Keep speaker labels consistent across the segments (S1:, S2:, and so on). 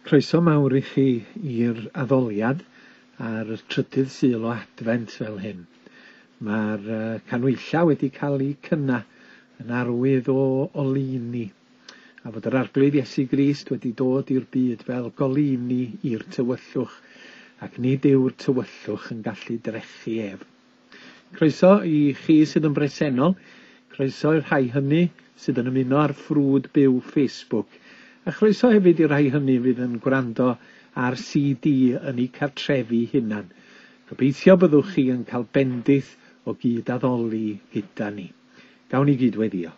S1: Croeso mawr i chi i'r addoliad ar y trydydd Sul o Adfent fel hyn. Mae'r canhwyllau wedi cael eu cynnau yn arwydd o oleuni, a fod yr Arglwydd Iesu Grist wedi dod i'r byd fel goleuni i'r tywyllwch, ac nid yw'r tywyllwch yn gallu drechu ef. Croeso i chi sydd yn bresennol, croeso i'r rhai hynny sydd yn ymuno ar ffrwd byw Facebook, a chroeso hefyd i'r rhai hynny fydd yn gwrando ar CD yn eu cartrefi hunan. Gobeithio byddwch chi yn cael bendith o gyd-addoli gyda ni. Gawn ni gyd weddio.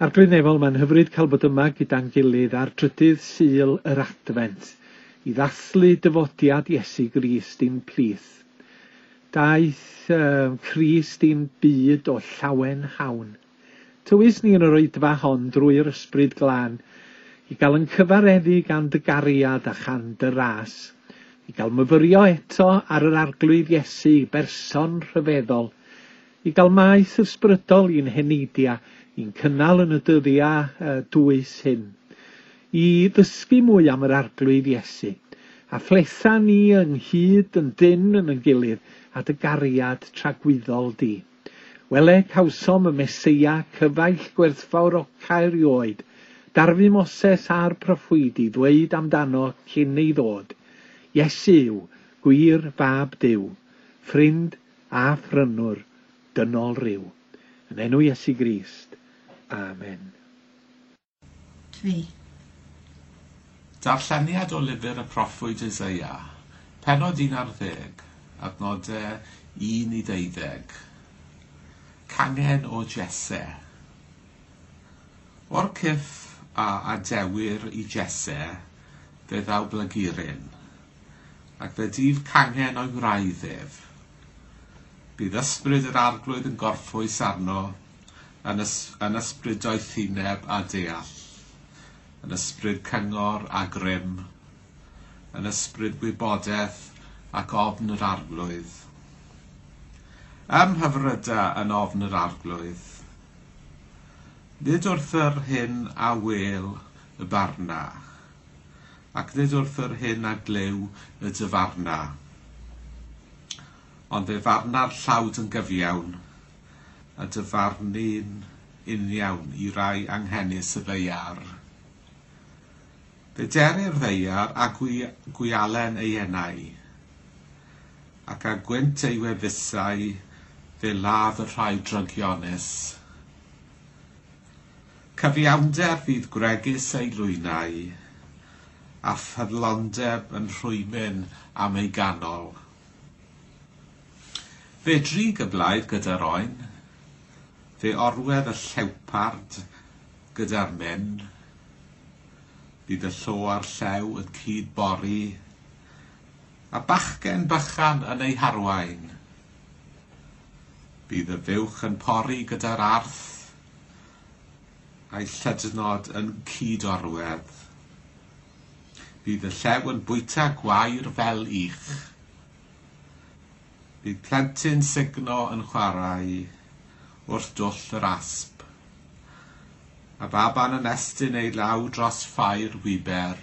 S1: Arglwydd Nefol, mae'n hyfryd cael bod yma gyda'n gilydd ar drydydd Sul yr Adfent i ddathlu dyfodiad Iesu Grist i'n plith. Daeth Crist i'n byd o llawen hawn. Tywys ni yn yr oedfa hon drwy'r Ysbryd Glân i gael yn cyfareddu gan dy gariad a chan dy ras, i gael myfyrio eto ar yr Arglwydd Iesu, berson rhyfeddol, i gael maeth ysbrydol i'n heneidia, i'n cynnal yn y dyddiau dwys hyn, i ddysgu mwy am yr Arglwydd Iesu, a phletha ni ynghyd yn dynn yn yn gilydd a dy gariad tragwyddol di. Wele, cawsom y Meseia, cyfaill gwerthfawroca erioed, darfu Moses a'r proffwydi ddweud amdano cyn ei ddod, Iesu yw, gwir fab Duw, ffrind a phrynwr dynol ryw. Yn enw Iesu Grist. Amen.
S2: 3.
S3: Darlleniad o lyfr y proffwyd Eseia, pennod 11, adnodau 1 i 12. Cangen o Jesse. O'r cyff a adewir i Jesse, fe ddaw blaguryn, ac fe dyf cangen o'i wraidd ef. Bydd ysbryd yr arglwydd yn gorffwys arno, yn, ys yn ysbryd doethineb a deall, yn ysbryd cyngor a grym, yn ysbryd gwybodaeth ac ofn yr arglwydd. Ymhyfryda yn ofn yr arglwydd. Nid wrth yr hyn a wel y barna, ac nid wrth yr hyn a glyw y dyfarna. Ond fe farna'r llawd yn gyfiawn, a dyfarnu'n uniawn i rai anghenus y ddaear. Fe derir ddaear a gwialen ei enau, ac â gwynt ei wefusau fe ladd y rhai drygionus. Cyfiawnder fydd gwregys ei lwynau, a ffyddlondeb yn rhwymyn am ei ganol. Fe drig y blaidd gyda'r oen, fe orwedd y llewpard gyda'r myn, bydd y llo a'r llew yn cyd-bori, a bachgen bychan yn ei harwain. Bydd y fuwch yn pori gyda'r arth, a'i llydnod yn cyd-orwedd. Bydd y llew yn bwyta gwair fel ych. Bydd plentyn sugno yn chwarae wrth dwll yr asp, a baban yn estyn ei law dros ffair wiber.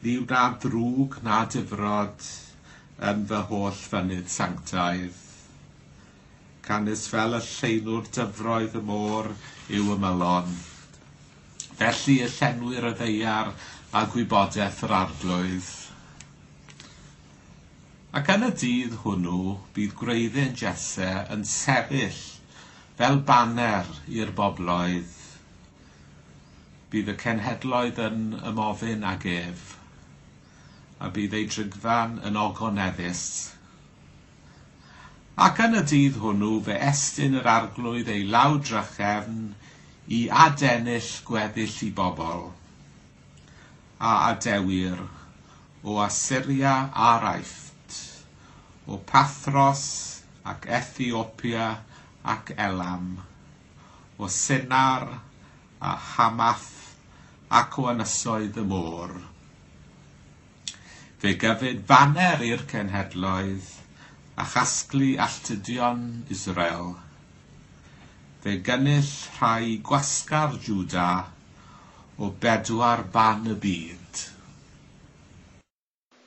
S3: Ni wna ddrwg na difrod yn fy holl fynydd sanctaidd. Canys fel y llenwr dyfroedd y môr yw ymylon. Felly y llenwir y ddaear a gwybodaeth yr arglwydd. Ac yn y dydd hwnnw bydd gwreiddyn Jesse yn sefyll fel baner i'r bobloedd. Bydd y cenhedloedd yn ymofyn ag ef, a bydd ei drigfan yn ogoneddus. Ac yn y dydd hwnnw fe estyn yr arglwydd ei law drachefn i adennill gweddill i bobl, a adewir o Assyria a'r Aifft, o Pathros ac Ethiopia ac Elam, o Sinar a Hamath ac o ynysoedd y môr. Fe gyfyd faner i'r cenhedloedd a chasglu alltudion Israel. Fe gynnull rhai gwasgar Jwda o bedwar ban y byd.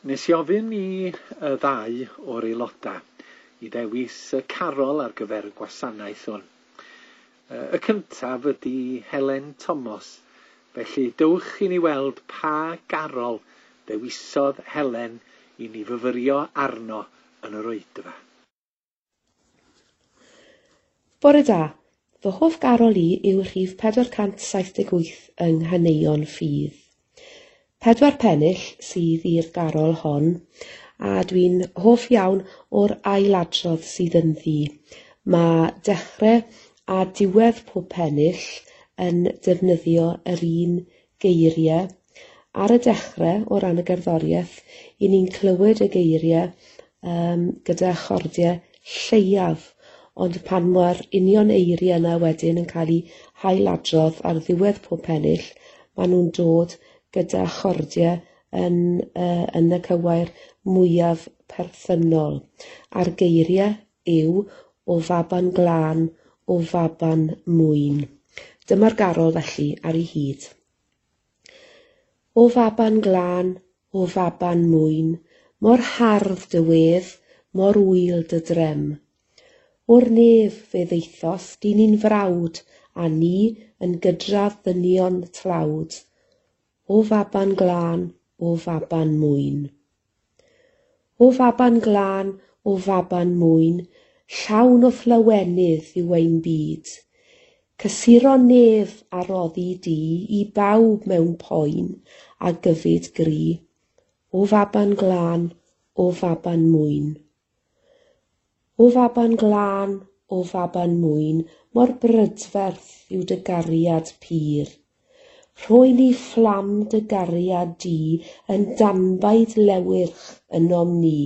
S1: Nes i ofyn i y ddau o'r aelodau i ddewis y carol ar gyfer y gwasanaeth hwn. Y cyntaf ydy Helen Thomas, felly dewch i ni weld pa garol ddewisodd Helen i ni fyfyrio arno yn yr oedfa.
S4: Bore da, fy hoff garol i yw rhif 478 yng Nghaneuon Ffydd. 4 pennill sydd i'r garol hon, a dwi'n hoff iawn o'r ailadrodd sydd ynddi. Mae dechrau a diwedd pob pennill yn defnyddio yr un geiriau. Ar y dechrau, o ran y gerddoriaeth, i ni'n clywed y geiriau gyda chordiau lleiaf, ond pan mae'r union eiriau yna wedyn yn cael eu hailadrodd ar ddiwedd pob pennill, maen nhw'n dod gyda chordiau yn y cywair mwyaf perthynol. A'r geiriau yw o faban glân, o faban mwyn. Dyma'r garol felly ar ei hyd. O faban glân, o faban mwyn, mor hardd dy wedd, mor wyl dy drem. O'r nef fe ddeithos, dyn ni'n frawd, a ni yn gydradd ddynion tlawd. O faban glân, o faban mwyn. O faban glân, o faban mwyn, llawn o fflawenydd yw ein byd. Cysuro nef a roddi di i bawb mewn poen a gyfyd gri. O faban glân, o faban mwyn. O faban glân, o faban mwyn, mor brydferth yw dy gariad pur. Rhoi ni fflam dy gariad di yn danbaid lewyrch ynom ni.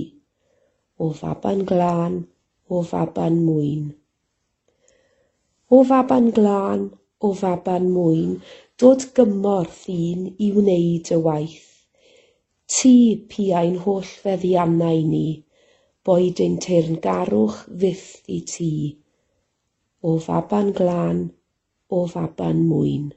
S4: O faban glân, o faban mwyn. O faban glân, o faban mwyn, dod gymorth un i wneud y waith. Ti piau'n holl feddiannau ni, boed ein teyrngarwch fyth i ti. O faban glân, o faban mwyn.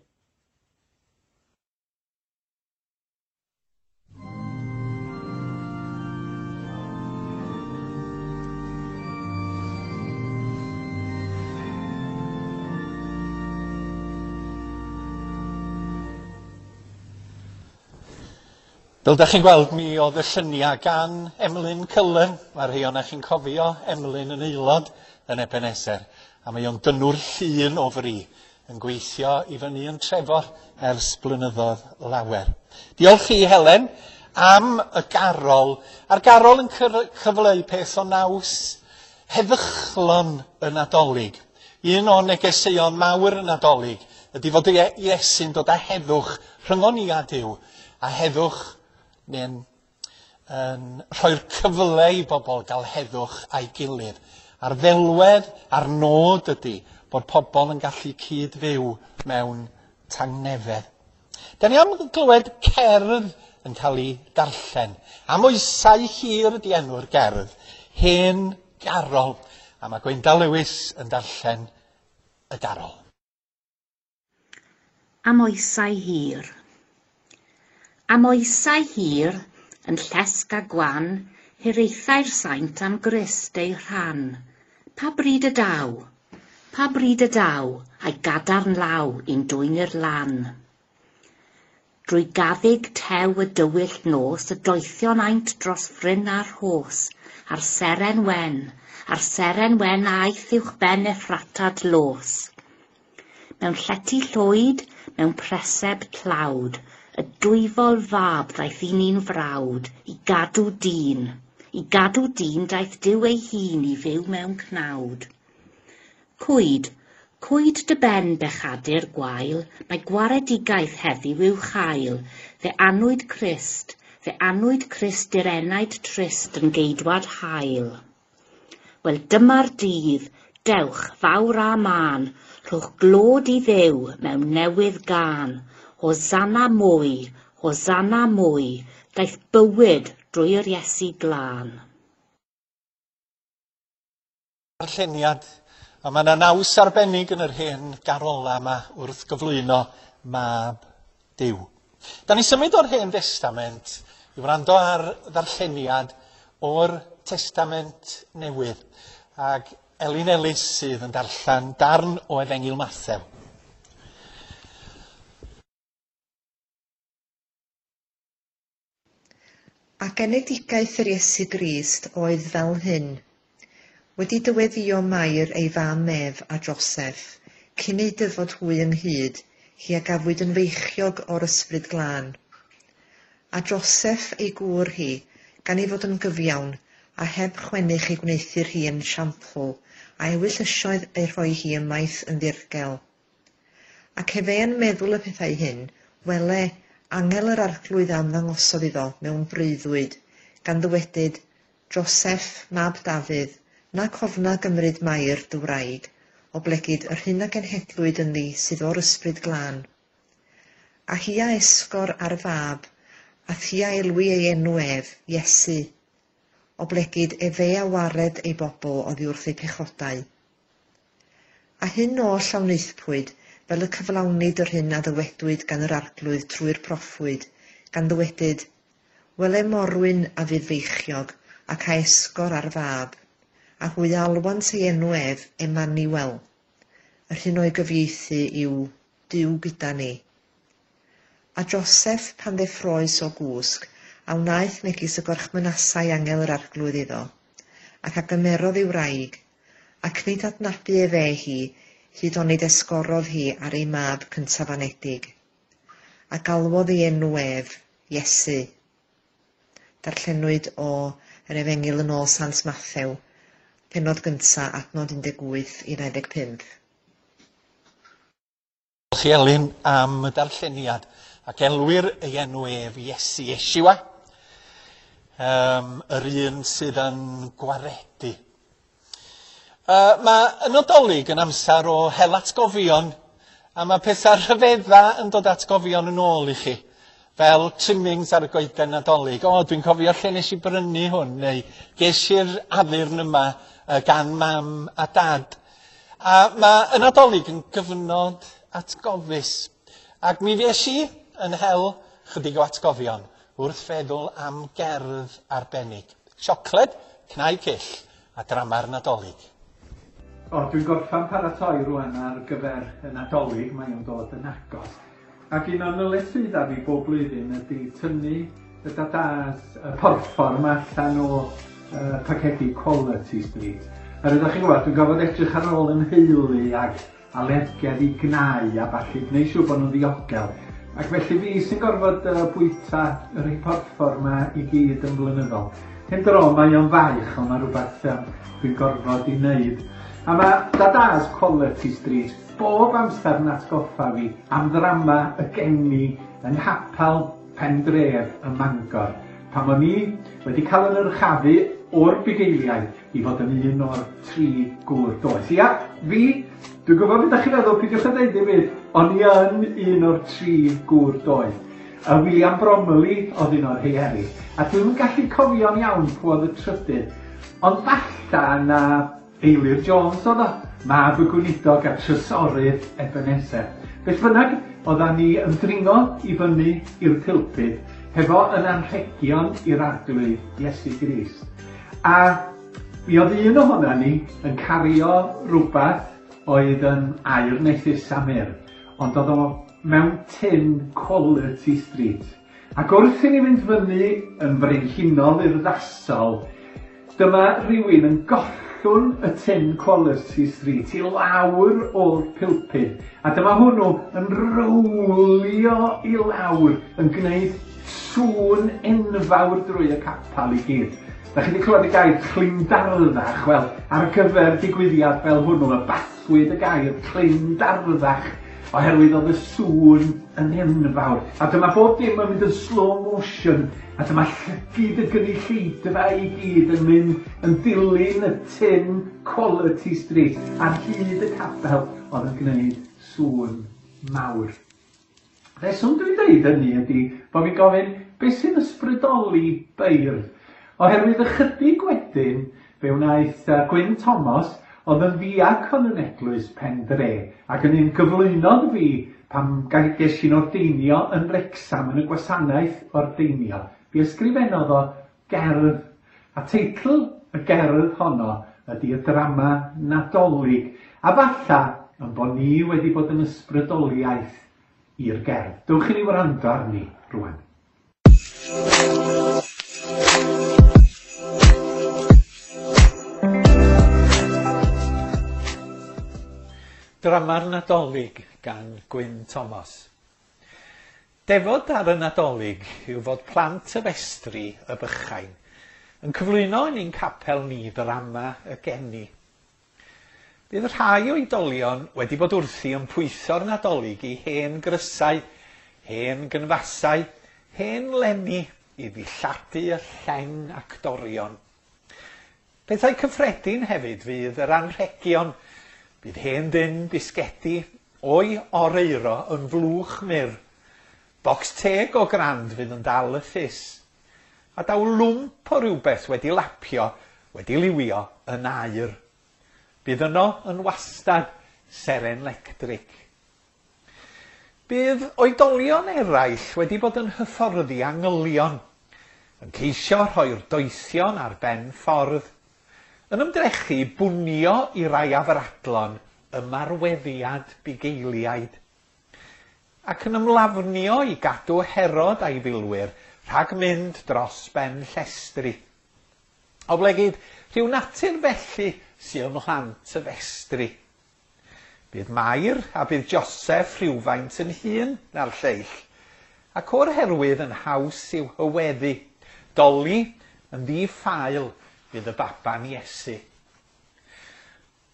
S1: Fel da chi'n gweld, mi oedd y lluniau gan Emlyn Cullen. Mae rhai ohonoch chi'n cofio Emlyn yn aelod yn Ebenezer. A mae o'n dynnwr llun o fri yn gweithio i fyny yn Trefor ers blynyddoedd lawer. Diolch i Helen am y garol. A'r garol yn cyfleu peth o naws heddychlon y Nadolig. Un o negeseuon mawr y Nadolig ydy fod Iesu'n dod â heddwch rhyngon ni a Duw, a heddwch neu'n yn rhoi'r cyfle i bobl gael heddwch a'i gilydd. A'r ddelwedd a'r nod ydy bod pobl yn gallu cyd-fyw mewn tangnefedd. Da ni am glywed cerdd yn cael ei darllen. Am oesau hir ydy enw'r gerdd, Hen Garol. A mae Gwenda Lewis yn darllen y garol.
S5: Am oesau hir. Am oesau hir, yn llesg a gwan, hiraethau'r saint am Grist ei rhan. Pa bryd y daw? Pa bryd y daw, a'i gadarn law i'n dwyn i'r lan? Drwy gaddug tew y dywyll nos, y doethion aint dros fryn a'r rhos, a'r seren wen, a'r seren wen aeth uwch ben Effrata dlos. Mewn llety llwyd, mewn preseb tlawd, y dwyfol fab ddaeth i ni'n frawd, i gadw dyn. I gadw dyn daeth Duw ei hun i fyw mewn cnawd. Cwyd, cwyd dy ben bechadur gwael, mae gwaredigaeth heddiw i'w chael, fe anwyd Crist i'r enaid trist yn geidwad hael. Wel dyma'r dydd, dewch fawr a mân, rhowch glod i Dduw mewn newydd gân. Hosanna mwy, daeth bywyd drwy'r Iesu glân.
S1: Darlleniad, a mae yna naws arbennig yn yr hen garola yma wrth gyflwyno Mab Duw. Da ni symud o'r Hen Destament i wrando ar ddarlleniad o'r Testament Newydd, ac Elin Ellis sydd yn darllen darn o Efengyl Mathew.
S2: A genedigaeth yr Iesu Grist oedd fel hyn. Wedi dyweddio Mair ei fam ef a Joseff, cyn eu dyfod hwy ynghyd, hi a gafwyd yn feichiog o'r Ysbryd Glân. A Joseff ei gŵr hi, gan ei fod yn gyfiawn, a heb chwennych ei gwneuthur hi yn siampl, a ewyllysioedd ei rhoi hi ymaith yn ddirgel. Ac efe yn meddwl y pethau hyn, wele, angel yr Arglwydd a ymddangosodd iddo mewn breuddwyd, gan ddywedyd, Joseff, mab Dafydd, nac ofna gymryd Mair dy wraig, oblegid yr hyn a genhedlwyd ynddi sydd o'r Ysbryd Glân. A hi a esgor ar fab, a thi a elwi ei enw ef, Iesu, oblegid efe a wared ei bobl oddi wrth eu pechodau. A hyn oll a wnaethpwyd, fel y cyflawnid yr hyn a ddywedwyd gan yr Arglwydd trwy'r proffwyd, gan ddywedyd, Wele morwyn a fydd feichiog, ac a esgor ar fab, a hwy a alwant ei enw ef Emmanuel. Yr hyn o'i gyfieithu yw Duw gyda ni. A Joseff, pan ddeffroes o gwsg, a wnaeth megis y gorchmynasai angel yr Arglwydd iddo, ac a gymerodd ei wraig, ac nid adnabu efe hi, hyd onid esgorodd hi ar ei mab cyntaf anedig. A galwodd ei enw ef, Iesu. Darllenwyd o yr Efengyl yn ôl Sant Mathew, pennod gynta, adnod 18 i 25.
S1: Diolch i Elin am y darlleniad, ac elwir ei enw ef Iesu Yeshua, yr un sydd yn gwaredu. Mae y Nadolig yn amser o hel atgofion, a mae pethau rhyfedda yn dod atgofion yn ôl i chi, fel trimmings ar y goeden Nadolig. O, dwi'n cofio lle nes i brynu hwn, neu ges i'r addurn yma gan mam a dad. A mae y Nadolig yn gyfnod atgofus, ac mi fues i yn hel chydig o atgofion wrth feddwl am gerdd arbennig. Siocled, cnau cyll, a drama'r Nadolig. O, dwi'n gorffan paratoi rwan ar gyfer y Nadolig, mae o'n dod yn agos. Ac un o'n nyletswyddau fi bob blwyddyn ydy tynnu y dadas, y porffor yma allan o pacedi Quality Street. A rydych chi'n gwybod, dwi'n gorfod edrych ar ôl yn nheulu ag alergedd i gnau a ballu, gwneud siŵr bod nhw'n ddiogel. Ac felly fi sy'n gorfod bwyta y rhai porffor yma i gyd yn flynyddol. Hen dro mae o'n faich, ond mae rhywbeth dwi'n gorfod i wneud. A mae Dada's Quality Street bob amser yn atgoffa fi am ddrama y geni yng Nghapel Pendref ym Mangor, pan o'n i wedi cael yn yrchafu o'r bugeiliaid i fod yn un o'r tri gŵr doeth. Ia, fi, dwi'n gwybod beth ydych chi'n feddwl, peidiwch â dweud dim byd, o'n i yn un o'r tri gŵr doeth. A William Bromley oedd un o'r rhei eraill. A dwi'm yn gallu cofio'n iawn pwy oedd y trydydd, ond falla na Eilir Jones oedd o, mab y gweinidog a trysorydd Ebenezer. Beth bynnag, oeddan ni yn dringo i fyny i'r pulpud hefo yn anrhegion i'r Arglwydd Iesu Grist. A mi oedd un ohona ni yn cario rhywbeth oedd yn aur neu a myrrh, ond oedd o mewn tin Quality Street. Ac wrth i ni fynd fyny yn frenhinol urddasol, dyma rhywun yn gollwng y tin Quality Street i lawr o'r pulpud, a dyma hwnnw yn rowlio i lawr, yn gwneud sŵn enfawr drwy y capel i gyd. Da chi wedi clywed y gair clindarddach? Wel, ar gyfer digwyddiad fel hwnnw, y bathwyd y gair clindarddach, oherwydd oedd y sŵn yn enfawr. A dyma bob dim yn mynd yn slow motion, a dyma llygid y gynulleidfa i gyd yn mynd yn dilyn y tin Quality Street ar hyd y capel oedd yn gwneud sŵn mawr. Rheswm dwi'n dweud hynny ydy bod fi'n gofyn beth sy'n ysbrydoli beirdd. Oherwydd ychydig wedyn fe wnaeth Gwyn Thomas, oedd yn ddiacon yn eglwys Pen Dre, ac yn un gyflwynodd fi Pan ges i'n ordeinio yn Wrecsam yn y gwasanaeth ordeinio, mi ysgrifennodd o gerdd, a teitl y gerdd honno ydy y drama Nadolig, a falla yn bod ni wedi bod yn ysbrydoliaeth i'r gerdd. Dewch i ni wrando arni rwan. Drama'r Nadolig gan Gwyn Thomas. Defod ar y Nadolig yw fod plant y festri y bychain yn cyflwyno yn ein capel ni ddrama y geni. Bydd rhai oedolion wedi bod wrthi yn pwytho'r Nadolig i hen grysau, hen gynfasau, hen lenni i ddilladu y lleng actorion. Pethau cyffredin hefyd fydd yr anrhegion. Bydd hen dyn bisgedi o'i oreuro yn flwch mur. Bocs teg o grand fydd yn dal y ffys. A daw lwmp o rywbeth wedi lapio, wedi liwio yn aur. Bydd yno yn wastad seren lectric. Bydd oedolion eraill wedi bod yn hyfforddi angylion, yn ceisio rhoi'r doethion ar ben ffordd, yn ymdrechu bwnio i rai afradlon ymarweddiad bugeiliaid, ac yn ymlafnio i gadw Herod a'i filwyr rhag mynd dros ben llestri. Oblegid rhyw natur felly sy ym mhlant y festri. Bydd Mair a bydd Joseph rhywfaint yn hŷn na'r lleill, ac o'r herwydd yn haws i'w hyweddu. Doli yn ddi-ffael fydd y baban Iesu.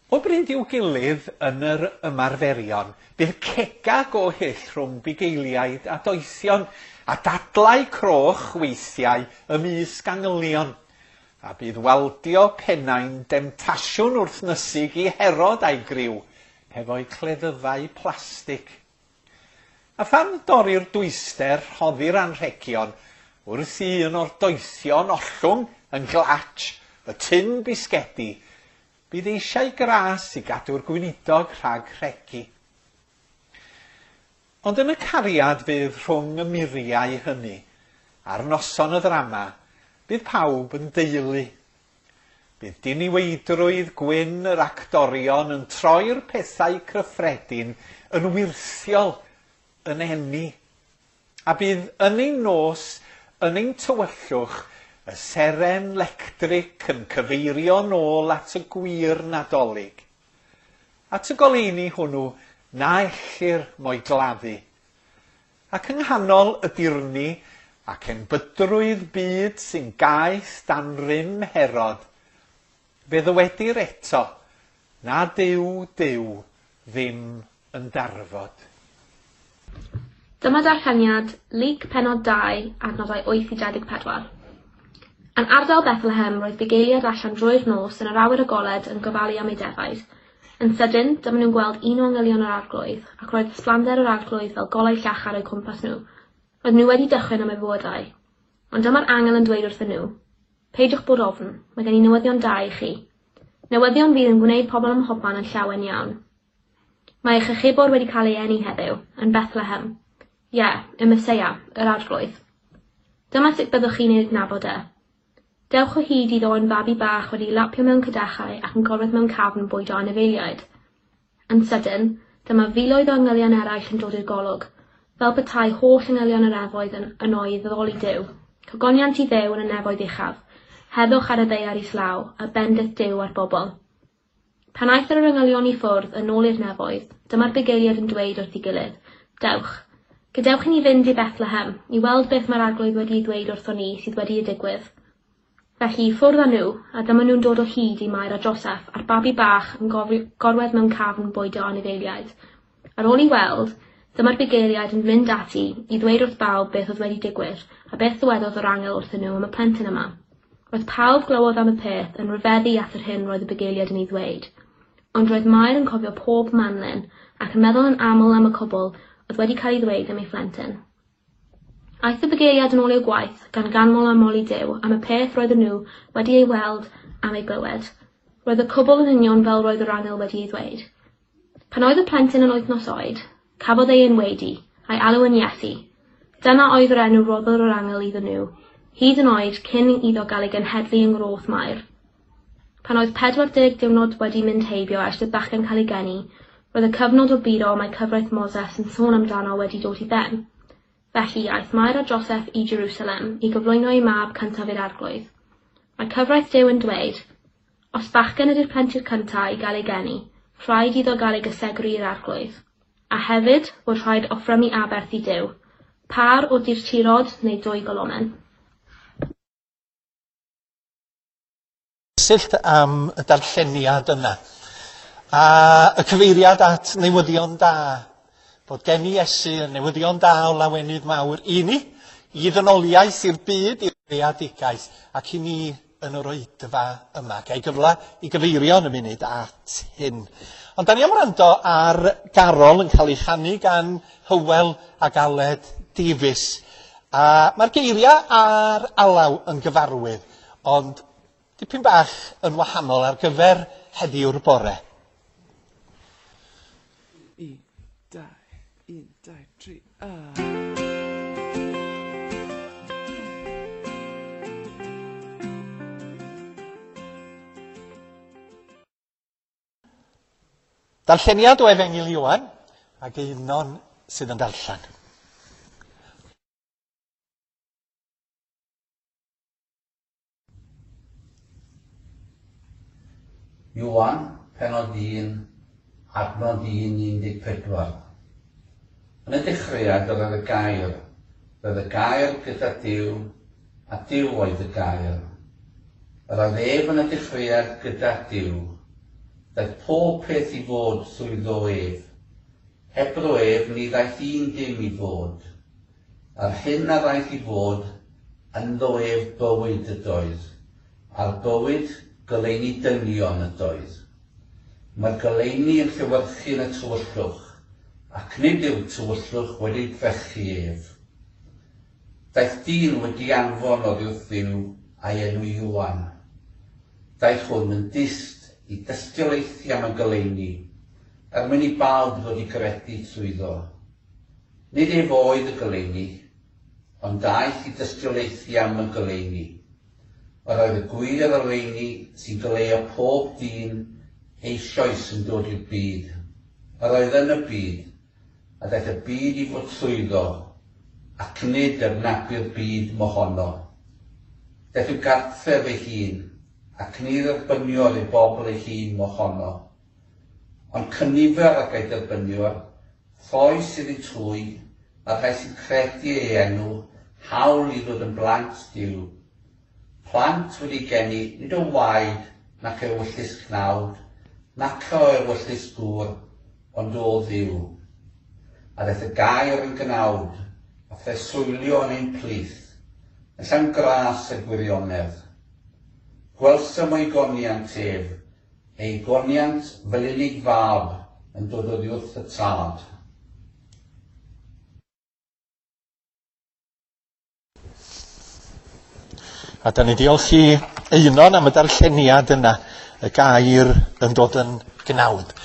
S1: O bryd i'w gilydd yn yr ymarferion, bydd cega go hyll rhwng bugeiliaid a doethion, a dadlau croch weithiau ymysg angylion, a bydd waldio pennau'n demtasiwn wrthnysig i Herod a'i griw, hefo'u cleddyfau plastig. A phan dorri'r dwyster rhoddi'r anrhegion, wrth i un o'r doethion ollwng yn glatsh y tun bisgedi, bydd eisiau gras i gadw'r gweinidog rhag rhegi. Ond yn y cariad fydd rhwng y muriau hynny, ar noson y ddrama, bydd pawb yn deulu. Bydd diniweidrwydd gwyn yr actorion yn troi'r pethau cyffredin yn wyrthiol, yn eni. A bydd yn ein nos, yn ein tywyllwch, y seren lectric yn cyfeirio nôl at y gwir Nadolig. At y goleuni hwnnw na ellir mo'i gladdu. Ac yng nghanol y dirni ac enbydrwydd byd sy'n gaeth dan rym Herod, fe ddywedir eto na Duw Duw ddim yn darfod.
S6: Dyma darlleniad Luc pennod 2, adnodau 8 i 24. Yn ardal Bethlehem roedd bugeiliaid allan drwy'r nos yn yr awyr agored yn gofalu am eu defaid. Yn sydyn, dyma nhw'n gweld un o angylion yr Arglwydd, ac roedd ysblander yr Arglwydd fel golau llachar o'u cwmpas nhw. Roedden nhw wedi dychryn am eu bywydau. Ond dyma'r angel yn dweud wrthyn nhw, Peidiwch bod ofn, mae gen i newyddion da i chi. Newyddion fydd yn gwneud pobl ym mhobman yn llawen iawn. Mae eich achubwr wedi cael ei eni heddiw, yn Bethlehem. Ie, y Meseia, yr Arglwydd. Dyma sut byddwch chi'n ei adnabod e. Dewch o hyd iddo yn fabi bach wedi'i lapio mewn cadachau ac yn gorwedd mewn cafn bwydo anifeiliaid. Yn sydyn, dyma filoedd o angylion eraill yn dod i'r golwg, fel petai holl angylion yr nefoedd yn yno i addoli Duw. Cogoniant i Dduw yn y nefoedd uchaf, heddwch ar y ddaear islaw, a bendith Duw ar bobl. Pan aeth yr angylion i ffwrdd yn ôl i'r nefoedd, dyma'r bugeiliaid yn dweud wrth ei gilydd, Dewch, gadewch i ni fynd i Bethlehem, i weld beth mae'r Arglwydd wedi'i ddweud wrthon ni sydd wedi digwydd. Felly, i ffwrdd â nhw, a dyma nhw'n dod o hyd i Mair a Joseff a'r babi bach yn gorwedd mewn cafn bwydo anifeiliaid. Ar ôl i weld, dyma'r bugeiliaid yn mynd ati i ddweud wrth bawb beth oedd wedi digwydd a beth ddywedodd yr angel wrthyn nhw am y plentyn yma. Roedd pawb glywodd am y peth yn rhyfeddu at yr hyn roedd y bugeiliaid yn ei ddweud. Ond roedd Mair yn cofio pob manlyn ac yn meddwl yn aml am y cwbl oedd wedi cael ei ddweud am ei phlentyn. Aeth y bugeiliaid yn ôl i'w gwaith, gan ganmol a moli Duw am y peth roedden nhw wedi ei weld am ei glywed. Roedd y cwbl yn union fel roedd yr angel wedi ei ddweud. Pan oedd y plentyn yn wythnos oed, Cafodd ei enwedu, a'i alw yn Iesu. Dyna oedd yr enw roddodd yr angel iddyn nhw, hyd yn oed cyn iddo gael ei genhedlu yng Ngroth Mair. Pan oedd 40 diwrnod wedi mynd heibio ers i'r bachgen cael ei geni, roedd y cyfnod o buro mae cyfraith Moses yn sôn amdano wedi dod i ben. Felly, aeth Mair a Joseff i Jerusalem i gyflwyno eu mab cyntaf i'r Arglwydd. Mae cyfraith Duw yn dweud, Os bachgen ydy'r plentyn cyntaf i gael ei geni, rhaid iddo gael ei gysegru i'r Arglwydd. A hefyd, fod rhaid offrymu aberth i Duw, pâr o durturod neu dwy golomen.
S1: Cyswllt am y darlleniad yna. A y cyfeiriad at newyddion da, bod gen i Iesu yn newyddion da o lawenydd mawr i ni, i ddynoliaeth, i'r byd, i'r greadigaeth, ac i ni yn yr oedfa yma. Ga i gyfle i gyfeirio yn y munud at hyn. Ond da ni am wrando ar garol yn cael ei chanu gan Hywel ac Aled Davies. A mae'r geiriau a'r alaw yn gyfarwydd, ond dipyn bach yn wahanol ar gyfer heddiw'r bore.
S7: 1, 2, 1, 2, 3, a...
S1: Darlleniad o Efengyl Ioan ac Einon sydd yn darllen.
S8: Ioan, pennod 1, adnod 1, 14. Yn y dechreuad yr oedd y gair, roedd y gair gyda Duw, a Duw oedd y gair. Yr oedd ef yn y dechreuad gyda Duw. Daeth pob peth i fod trwyddo ef. Hebddo ef ni ddaeth un dim i fod. Yr hyn a ddaeth i fod, ynddo ef bywyd ydoedd, a'r bywyd goleuni dynion ydoedd. Mae'r goleuni yn llewyrchu yn y tywyllwch, ac nid yw'r tywyllwch wedi drechu ef. Daeth dyn wedi anfon oddi wrth Dduw a'i enw Ioan. Daeth hwn yn dyst i dystiolaethu am y goleuni, er mwyn i bawb ddod i gredu trwyddo. Nid ef oedd y goleuni, ond daeth i dystiolaethu am y goleuni. Yr oedd y gwir oleuni sy'n goleuo pob dyn eisoes yn dod i'r byd. Yr oedd yn y byd, a daeth y byd i fod trwyddo, ac nid adnabu'r byd mohono. Daeth i'w gartref ei hun, ac ni dderbyniodd ei bobl ei hun mohono. Ond cynifer ag ei derbyniodd, rhoes iddynt hwy, a'r rhai sy'n credu ei enw, hawl i ddod yn blant Duw. Plant wedi geni nid o waed nac ewyllys cnawd, nac o ewyllys gŵr, ond o Dduw. A ddaeth y gair yn gnawd, a phreswylio yn ein plith, yn llawn gras a gwirionedd. Gwelsom o'i goniant ef, ei goniant fel unig fab yn dod oddi wrth y Tad.
S1: A da ni diolch i Einon am y darlleniad yna, y gair yn dod yn gnawd.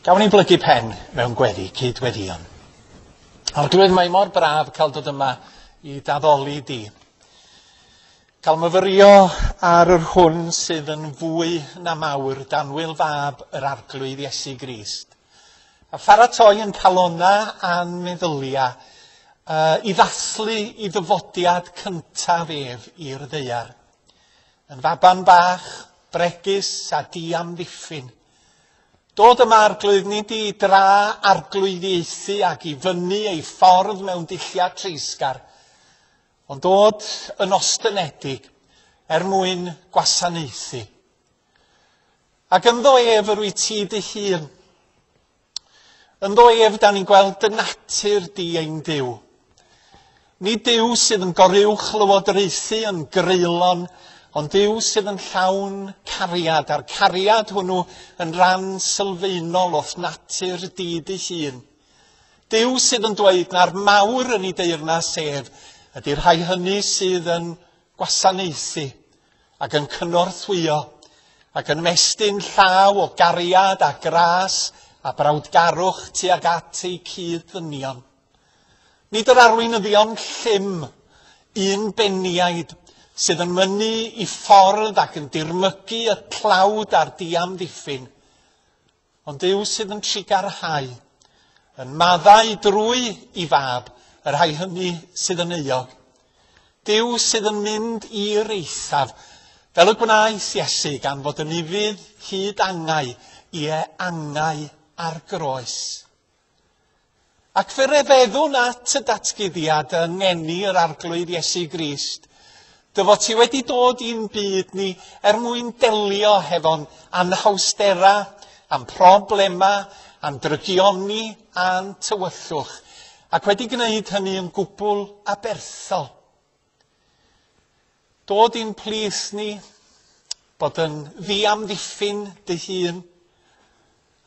S1: Gawn ni blygu pen mewn gweddi, cyd-weddïon. Arglwydd, mae mor braf cael dod yma i daddoli di. Cael myfyrio ar yr hwn sydd yn fwy na mawr, danwyl fab yr Arglwydd Iesu Grist. A pharatoi yn calona a'n meddylia i ddathlu i ddyfodiad cyntaf ef i'r ddaear. Yn faban bach, bregus a diamddiffyn. Dod yma Arglwydd nid i dra arglwyddiaethu ac i fyny ei ffordd mewn dulliau treisgar, ond dod yn ostynedig er mwyn gwasanaethu. Ac ynddo ef yr wyt ti dy hun. Ynddo ef da ni'n gweld dy natur di ein Duw. Nid Duw sydd yn goruwch lywodraethu yn greulon, ond Duw sydd yn llawn cariad, a'r cariad hwnnw yn rhan sylfaenol o'th natur di dy hun. Duw sydd yn dweud na'r mawr yn ei deyrnas ef ydy'r rhai hynny sydd yn gwasanaethu ac yn cynorthwyo ac yn mestyn llaw o gariad a gras a brawdgarwch tuag at eu cyd-ddynion. Nid yr arweinyddion llym, un beniaid, sydd yn mynnu i ffordd ac yn dirmygu y tlawd a'r diamddiffyn, ond Duw sydd yn trugarhau, yn maddau drwy i fab y rhai hynny sydd yn euog. Duw sydd yn mynd i'r eithaf, fel y gwnaeth Iesu gan fod yn ufudd hyd angau, ie angau ar groes. Ac fe refeddwn at y datguddiad yng ngeni yr Arglwydd Iesu Grist, dy fod ti wedi dod i'n byd ni er mwyn delio hefo'n anhawstera, a'n problema, a'n drygioni a'n tywyllwch, ac wedi gwneud hynny yn gwbl aberthol. Dod i'n plith ni, bod yn ddiamddiffyn dy hun,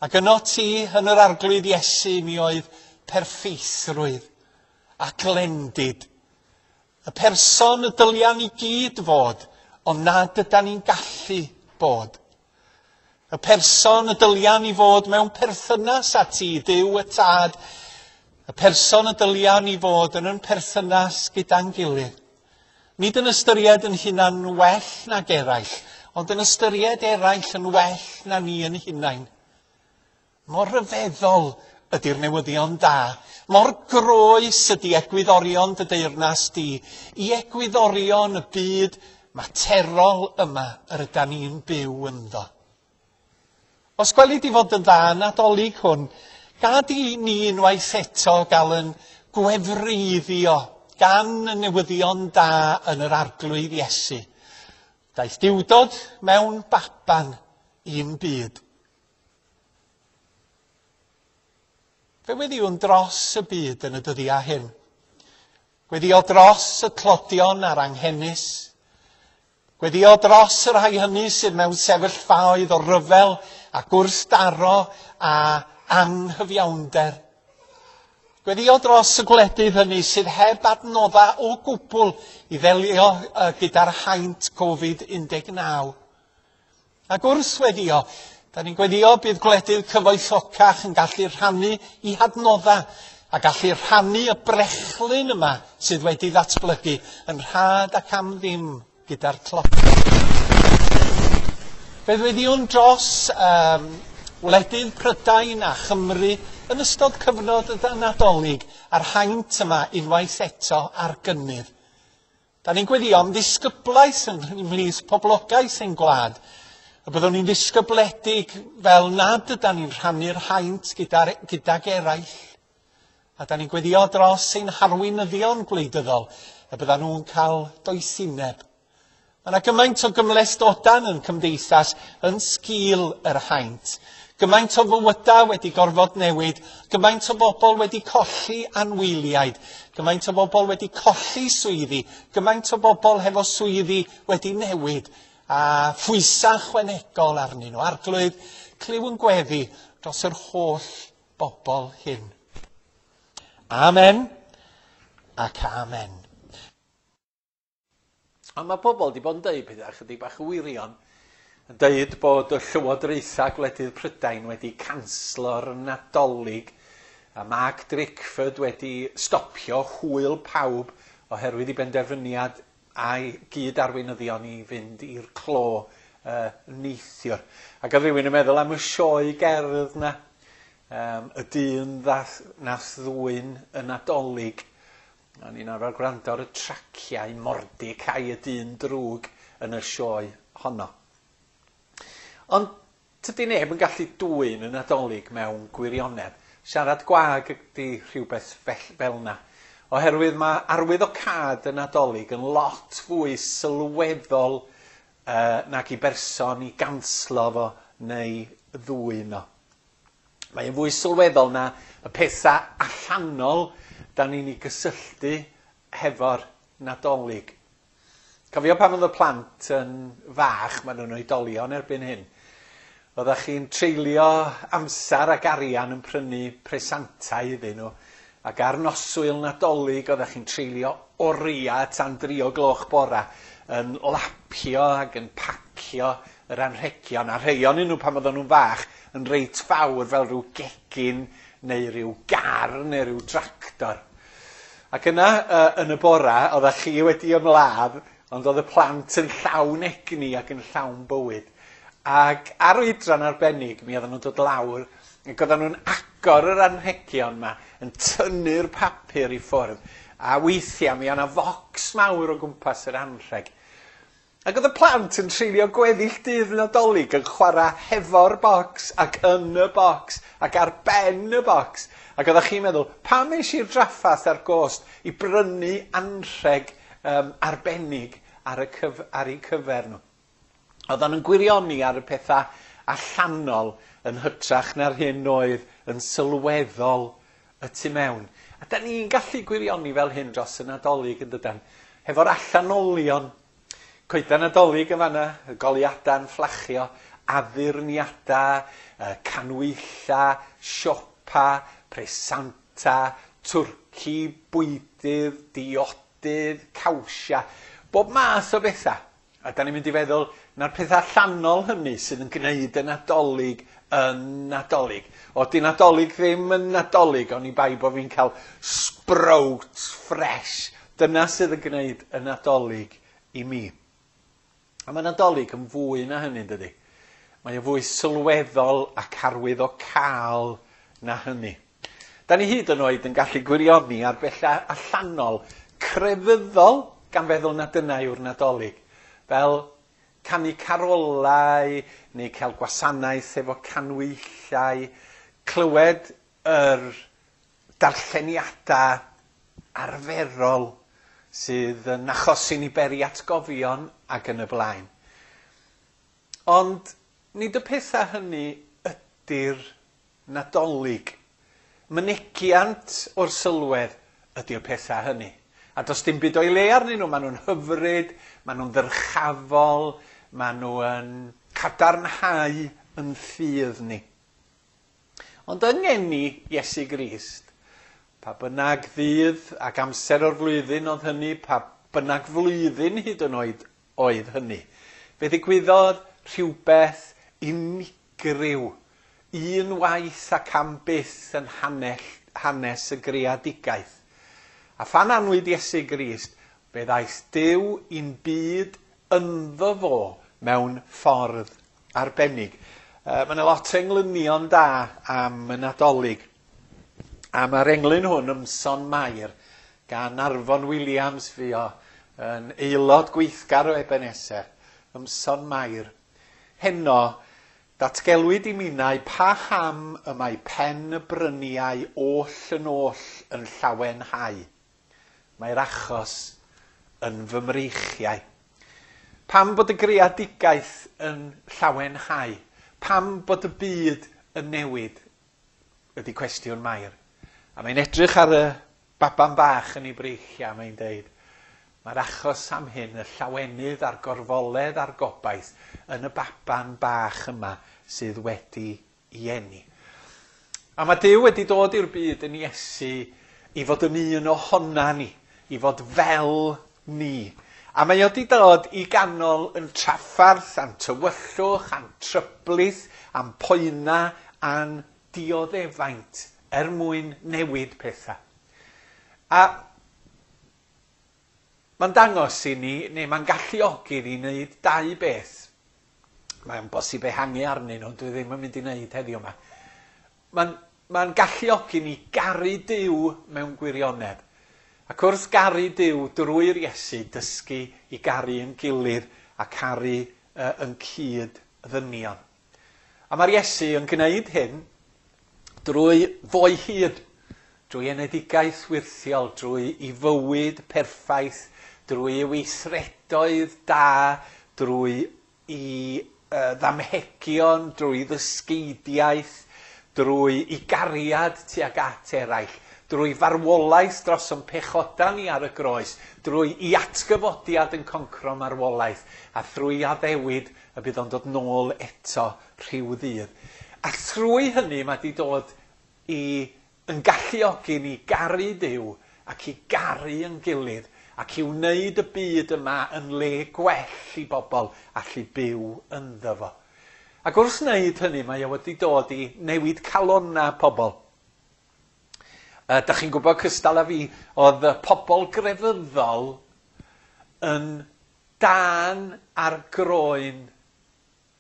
S1: ac yno ti yn yr Arglwydd Iesu mi oedd perffeithrwydd a glendid. Y person y dylia ni gyd fod, ond nad ydan ni'n gallu bod. Y person y dylia ni fod mewn perthynas â ti, Duw y Tad. Y person y dylia ni fod yn yn perthynas gyda'n gilydd. Nid yn ystyried yn hunan well nag eraill, ond yn ystyried eraill yn well na ni yn hunain. Mor ryfeddol ydy'r newyddion da. Mor groes ydy egwyddorion dy deyrnas di i egwyddorion y byd materol yma yr ydan ni'n byw ynddo. Os gweli di fod yn dda Nadolig hwn, gad i ni unwaith eto gael yn gwefreiddio gan y newyddion da yn yr Arglwydd Iesu. Daeth Duwdod mewn baban i'n byd. Fe weddïwn dros y byd yn y dyddiau hyn. Gweddio dros y tlodion a'r anghenus. Gweddio dros y rhai hynny sydd mewn sefyllfaoedd o ryfel a gwrthdaro a anghyfiawnder. Gweddio dros y gwledydd hynny sydd heb adnoddau o gwbl i ddelio gyda'r haint Covid-19. Ac wrth weddio, da ni'n gweddio bydd gwledydd cyfoethocach yn gallu rhannu i hadnoddau a gallu rhannu y brechlyn yma sydd wedi ddatblygu yn rhad ac am ddim gyda'r tlodion. Fe ddweddiwn dros um, wledydd Prydain a Chymru yn ystod cyfnod y Nadolig a'r haint yma unwaith eto ar gynnydd. Da ni'n gweddio am ddisgyblaeth ymhlith poblogaeth ein gwlad. Y byddwn ni'n ddisgybledig fel nad ydan ni'n rhannu'r haint gyda'r, gydag eraill. A da ni'n gweddio dros ein harweinyddion gwleidyddol, y byddan nhw'n cael doethineb. Mae yna gymaint o gymhlethdodan yn cymdeithas yn sgil yr haint. Gymaint o fywydau wedi gorfod newid, gymaint o bobl wedi colli anwyliaid, gymaint o bobl wedi colli swyddi, gymaint o bobl hefo swyddi wedi newid, a phwysau chwanegol arnyn nhw. Arglwydd, clyw yn gweddi dros yr holl bobl hyn. Amen ac amen.
S3: Ond mae pobl wedi bod yn deud pethau chydig bach yn wirion, yn deud bod y llywodraethau gwledydd Prydain wedi canslo'r Nadolig a Mark Drakeford wedi stopio hwyl pawb oherwydd i benderfyniad a'i gyd arweinyddion i fynd i'r clo uh, neithiwr. Ac oedd rhywun yn meddwl am y sioe gerdd na, um, y dyn ddath, nath ddwyn y Nadolig. O'n i'n arfer gwrando ar y traciau Mordecai y dyn drwg yn y sioe honno. Ond tydi neb yn gallu dwyn y Nadolig mewn gwirionedd. Siarad gwag ydy rhywbeth fel na. Oherwydd mae arwyddocâd y Nadolig yn lot fwy sylweddol uh, nag i berson i ganslo fo neu ddwyn o. Mae'n fwy sylweddol na y pethau allanol da ni'n ei gysylltu hefo'r Nadolig. Cofio pan oedd y plant yn fach, maen nhw'n oedolion erbyn hyn, oeddech chi'n treulio amser ac arian yn prynu presantau iddyn nhw, ac ar noswyl Nadolig oeddech chi'n treulio oriau tan 3 o gloch bora yn lapio ac yn pacio pacio yr anrhegion, a rhai ohonyn nhw pan oedden nhw'n fach yn reit fawr fel rhyw gegin neu rhyw gar neu rhyw tractor. Ac yna yn y bora, oeddech chi wedi ymladd, ond oedd y plant yn llawn egni ac yn llawn bywyd. Ac ar oedran arbennig, mi oedden nhw'n dod lawr, ac oedden nhw'n agor yr anrhegion yma, yn tynnu'r papur i ffwrdd, a weithiau mi oedd 'na focs mawr o gwmpas yr anrheg. Ac oedd y plant yn treulio gweddill dydd Nadolig yn chwarae hefo'r bocs ac yn y bocs ac ar ben y bocs. Ac oeddech chi'n meddwl, pam es i'r draffath a'r gost i brynu anrheg arbennig ar eu cyfer nhw? Oedden nhw'n gwirioni ar y pethau allanol yn hytrach na'r hyn oedd yn sylweddol y tu mewn. A da ni'n gallu gwirioni fel hyn dros y Nadolig yn dydan, hefo'r allanolion. Coedan Nadolig yn fanna, y goleuadau'n fflachio, addurniadau, canwylla, siopa, presanta, twrci, bwydydd, diodydd, cawsia, bob math o bethau. A da ni'n mynd i feddwl na'r pethau allanol hynny sydd yn gwneud y Nadolig yn Nadolig. O, di Nadolig ddim yn Nadolig, oni bai bod fi'n cael sprouts fresh. Dyna sydd yn gwneud y Nadolig i mi. A mae Nadolig yn fwy na hynny, dydy. Mae o fwy sylweddol ac arwyddocaol na hynny. Da ni hyd yn oed yn gallu gwirioni ar bethau allanol, crefyddol, gan feddwl na dyna yw'r Nadolig. Fel canu carolau, neu cael gwasanaeth efo canwyllau, clywed yr darlleniadau arferol sydd yn achosi ni beri atgofion ac yn y blaen. Ond nid y pethau hynny ydy'r Nadolig. Mynegiant o'r sylwedd ydy'r pethau hynny. A does dim byd o'i le arnyn nhw. Maen nhw'n hyfryd, maen nhw'n ddyrchafol, maen nhw yn cadarnhau yn ffydd ni. Ond yng ngeni Iesu Grist, pa bynnag ddydd ac amser o'r flwyddyn oedd hynny, pa bynnag flwyddyn hyd yn oed oedd hynny, fe ddigwyddodd rhywbeth unigryw, unwaith ac am byth yn hanes y greadigaeth. A phan anwyd Iesu Grist, fe ddaeth Duw i'n byd ynddo fo mewn ffordd arbennig. Mae yna lot o englynion da am y Nadolig. A mae'r englyn hwn, Ymson Mair, gan Arfon Williams, fi o yn aelod gweithgar o Ebenezer, Ymson Mair. Heno, datgelwyd i minnau paham y mae pen y bryniau oll yn oll yn llawenhau. Mae'r achos yn fy mreichiau. Pam bod y greadigaeth yn llawenhau? Pam bod y byd yn newid? Ydy cwestiwn Mair. A mae'n edrych ar y baban bach yn ei breichiau, mae'n deud, mae'r achos am hyn, y llawenydd a'r gorfoledd a'r gobaith yn y baban bach yma sydd wedi ei eni. A mae Duw wedi dod i'r byd yn Iesu i fod yn un ohona ni, i fod fel ni. A mae o wedi dod i ganol yn traffarth, a'n tywyllwch, a'n tryblith, a'n poena, a'n dioddefaint er mwyn newid pethau. A mae'n dangos i ni, neu mae'n galluogi ni wneud dau beth. Mae'n bosib ehangu arnyn nhw, dwi ddim yn mynd i wneud heddiw yma. Mae'n galluogi ni garu Duw mewn gwirionedd. Ac wrth garu Duw drwy'r Iesu, dysgu i garu yn gilydd a caru yn cyd ddynion. A mae'r Iesu yn gwneud hyn drwy fo'i hyd, drwy enedigaeth wyrthiol, drwy ei fywyd perffaith, drwy ei weithredoedd da, drwy ei ddamhegion, drwy ddysgeidiaeth, drwy ei gariad tuag at eraill, drwy farwolaeth dros ein pechoda ni ar y groes, drwy ei atgyfodiad yn concro marwolaeth, a thrwy addewid y bydd o'n dod nôl eto rhyw ddydd. A thrwy hynny mae wedi dod i yn galluogi ni garu Duw ac i garu yn gilydd
S1: ac i wneud y byd yma yn le gwell i bobl allu byw ynddo fo. Ac wrth wneud hynny, mae o wedi dod i newid calonnau pobl. Da chi'n gwybod cystal â fi, oedd y pobl grefyddol yn dân ar groen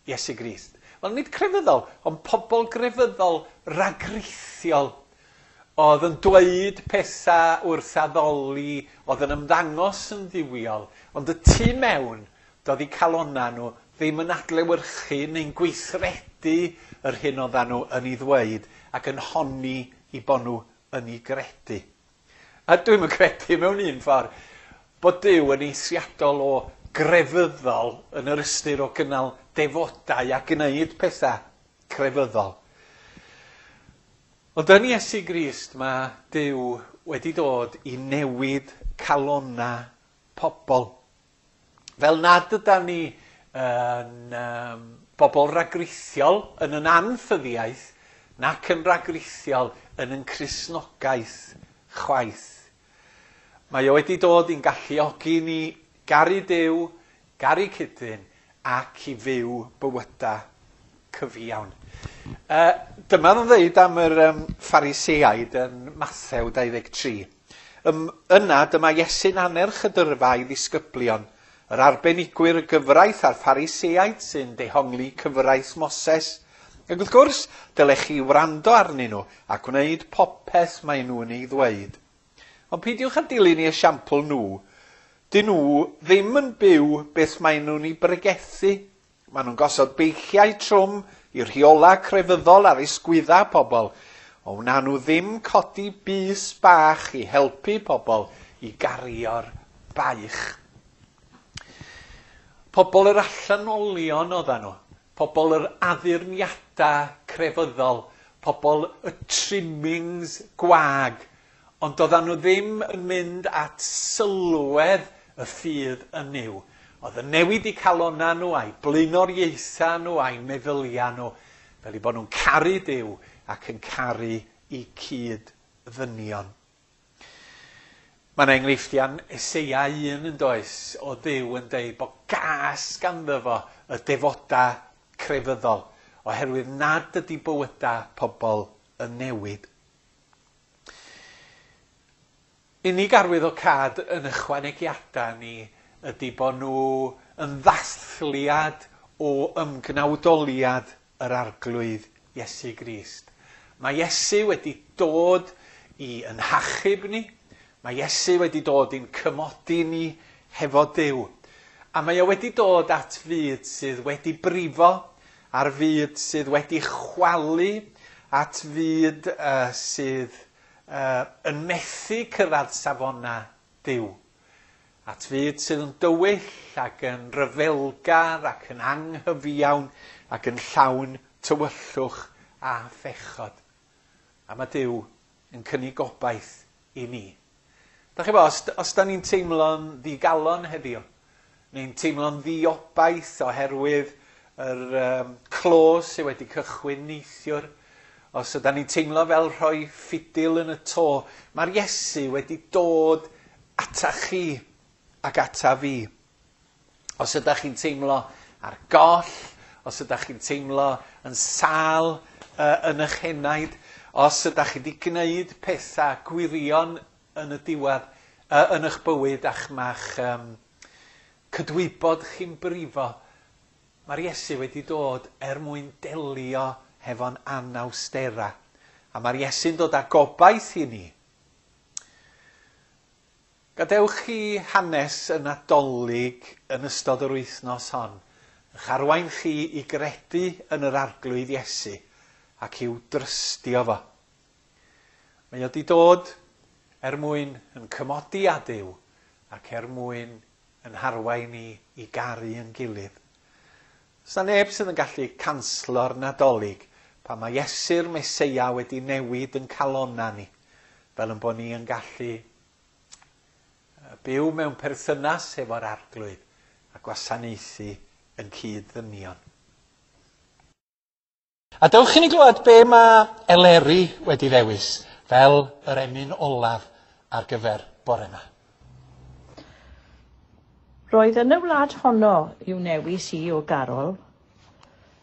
S1: Iesu Grist. Wel, nid crefyddol, ond pobl grefyddol ragrithiol oedd yn dweud pethau wrth addoli, oedd yn ymddangos yn dduwiol, ond y tu mewn, doedd eu calonnau nhw ddim yn adlewyrchu neu'n gweithredu yr hyn oedden nhw yn ei ddweud ac yn honni eu bod nhw yn ei gredu. A dwi'm yn credu mewn un ffordd bod Duw yn eithriadol o grefyddol yn yr ystyr o gynnal defodau a gwneud pethau crefyddol. Ond yn Iesu Grist mae Duw wedi dod i newid calonnau pobl. Fel nad ydan ni yn um, bobl ragrithiol yn yn anffyddiaeth, nac yn ragrithiol yn yn Cristnogaeth chwaith. Mae o wedi dod i'n galluogi ni garu Duw, garu cydyn, ac i fyw bywydau cyfiawn. Dyma nhw'n dweud am yr Phariseaid yn Mathew 23. Yna dyma Iesu'n annerch y dyrfa i ddisgyblion, yr arbenigwyr y gyfraith a'r Phariseaid sy'n dehongli cyfraith Moses. Ac wrth gwrs, dylech chi wrando arnyn nhw a gwneud popeth maen nhw'n ei ddweud. Ond peidiwch â dilyn eu esiampl nhw. Dyn nhw ddim yn byw beth maen nhw'n ei bregethu. Maen nhw'n gosod beichiau trwm i rheolau crefyddol ar ysgwyddau pobl. Ond wna nhw ddim codi bys bach i helpu pobl i gario'r baich. Pobl yr allanolion oedden nhw. Pobl yr addurniadau crefyddol. Pobl y trimmings gwag. Ond doedden nhw ddim yn mynd at sylwedd y ffydd yn Nuw. Oedd yn newid eu calonnau nhw, a'u blaenoriaethau nhw, a'u meddyliau nhw, fel eu bod nhw'n caru Duw ac yn caru eu cyd-ddynion. Mae yna enghreifftiau yn Eseia 1 yn does, o Dduw yn deud bod gas ganddo fo y defodau crefyddol, oherwydd nad ydy bywydau pobl yn newid. Unig arwyddocâd yn ychwanegiadau ni ydy bod nhw yn ddathliad o ymgnawdoliad yr Arglwydd Iesu Grist. Mae Iesu wedi dod i yn hachub ni, mae Iesu wedi dod i'n cymodi ni hefo Duw. A mae o wedi dod at fyd sydd wedi brifo, ar fyd sydd wedi chwalu, at fyd sydd yn methu cyrraedd safonau Duw. At fyd sydd yn dywyll ac yn ryfelgar ac yn anghyfiawn ac yn llawn tywyllwch a phechod. A mae Duw yn cynnig gobaith i ni. Da chi bo, os da ni'n teimlo'n ddigalon heddiw, neu'n teimlo'n ddiobaith oherwydd yr clo sydd wedi cychwyn neithiwr, os yda ni'n teimlo fel rhoi ffidil yn y to, mae'r Iesu wedi dod ata chi ac ata fi. Os ydych chi'n teimlo ar goll, os ydych chi'n teimlo yn sâl yn eich henaid, os ydych chi wedi gwneud pethau gwirion yn y diwedd, yn eich bywyd a'ch ma'ch cydwybod chi'n brifo, mae'r Iesu wedi dod er mwyn delio hefo'n anawsterau. A mae'r Iesu'n dod â gobaith i ni. Gadewch chi hanes y Nadolig yn ystod yr wythnos hon, ych arwain chi i gredu yn yr Arglwydd Iesu ac i'w drystio fo. Mae o 'di dod er mwyn yn cymodi â Duw ac er mwyn yn harwain ni i garu yn gilydd. Does 'na neb sydd yn gallu canslo'r Nadolig pan mae Iesu'r Meseia wedi newid yn calonnau ni, fel yn bod ni yn gallu byw mewn perthynas hefo'r Arglwydd a gwasanaethu yn cyd-ddynion. A dewch i ni glywed be mae Eleri wedi ddewis fel yr emyn olaf ar gyfer bore yma.
S9: Roedd yn y wlad honno i'w newis i o garol.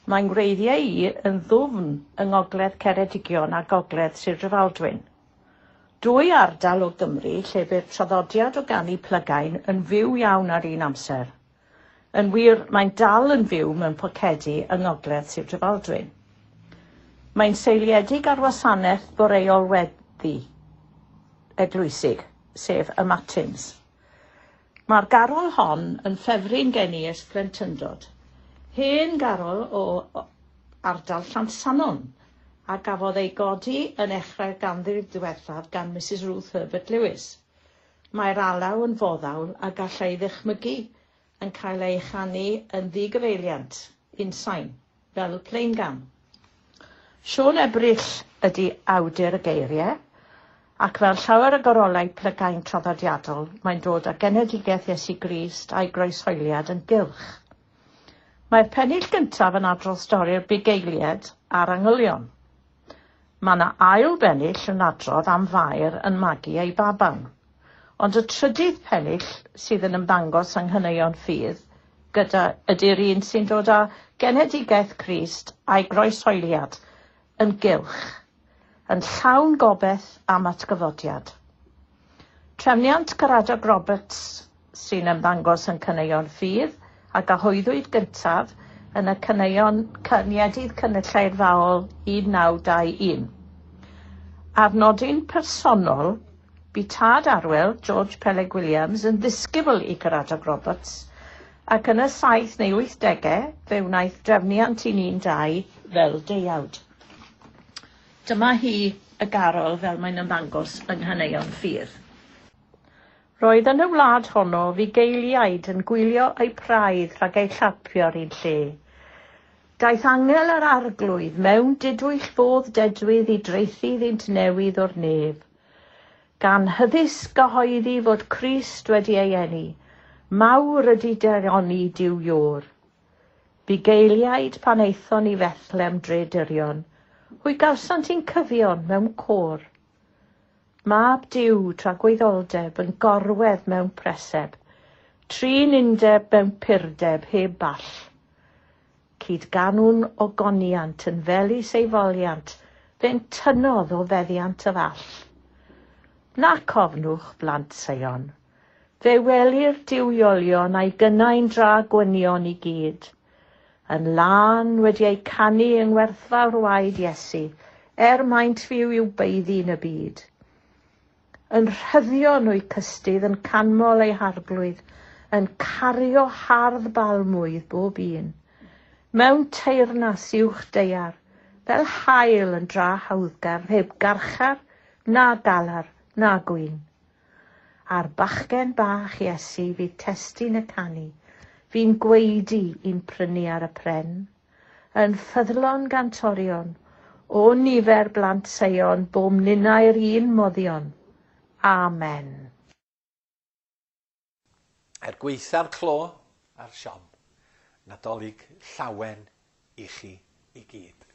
S9: Mae'n ngwreiddiau i yn ddwfn yng ngogledd Ceredigion a gogledd Sir Drefaldwyn. Dwy ardal o Gymru lle bu'r traddodiad o ganu plygain yn fyw iawn ar un amser. Yn wir, mae'n dal yn fyw mewn pocedi yng ngogledd Sir Drefaldwyn. Mae'n seiliedig ar wasanaeth boreol weddi eglwysig, sef y Matins. Mae'r garol hon yn ffefryn gen i ers plentyndod. Hen garol o ardal Llansannon a gafodd ei godi yn echrau'r ganrif ddiwethaf gan Mrs Ruth Herbert Lewis. Mae'r alaw yn foddhaol a gallai ddychmygu yn cael ei chanu yn ddigyfeiliant, unsain, fel plaengan. Siôn Ebrill ydy awdur y geiriau, ac fel llawer o gorolau plygain traddodiadol, mae'n dod â genedigaeth Iesu Grist a'i groeshoeliad yn gylch. Mae'r pennill gyntaf yn adrodd stori'r bugeiliad a'r angylion. Mae yna ail bennill yn adrodd am Fair yn magu ei baban. Ond y trydydd pennill sydd yn ymddangos yng Nghaneuon Ffydd gyda ydy'r un sy'n dod â genedigaeth Crist a'i groeshoeliad yn gylch, yn llawn gobaith am atgyfodiad. Trefniant Caradog Roberts sy'n ymddangos yn Caneuon Ffydd a gyhoeddwyd gyntaf yn y Caneuon Cyniedydd Cynulleidfaol 1921. Ar nodyn personol, bu tad Arwel, George Peleg Williams, yn ddisgybl i Caradog Roberts, ac yn y 7 neu 80au fe wnaeth drefniant 112 fel deuawd. Dyma hi y garol fel mae'n ymddangos yng Nghaneuon Ffydd. Roedd yn y wlad honno fugeiliaid yn gwylio eu praidd rhag eu llapio'r un lle. Daeth angel yr arglwydd mewn didwyll fodd dedwydd i draethu iddynt newydd o'r nef. Gan hyddysg gyhoeddi fod Crist wedi ei eni, mawr ydy daioni Duw Iôr. Bugeiliaid pan aethon i Fethlem dre dirion, hwy gawsant un cyfion mewn côr. Mab Duw tragwyddoldeb yn gorwedd mewn preseb, trin undeb mewn purdeb heb ball. Cydganwn ogoniant yn felys ei foliant, fe'n tynnodd o feddiant y fall. Nac ofnwch, blant Seion, fe welir duwiolion a'i gynnau'n dra gwynion i gyd, yn lân wedi eu canu yng ngwerthfawr waed Iesu, er maent fyw i'w baeddu yn y byd. Yn rhyddion o'u cystudd, yn canmol eu harglwydd, yn cario hardd balmwydd bob un. Mewn teyrnas uwch daear, fel haul yn dra hawddgar, heb garchar, na galar, na gwyn. A'r bachgen bach Iesu fydd testun y canu, fi'n gwaedu i'n prynu ar y pren. Yn ffyddlon gantorion, o nifer blant Seion, bom ninnau'r un moddion. Amen.
S1: Er gwaetha'r clo a'r siom, Nadolig llawen i chi i gyd.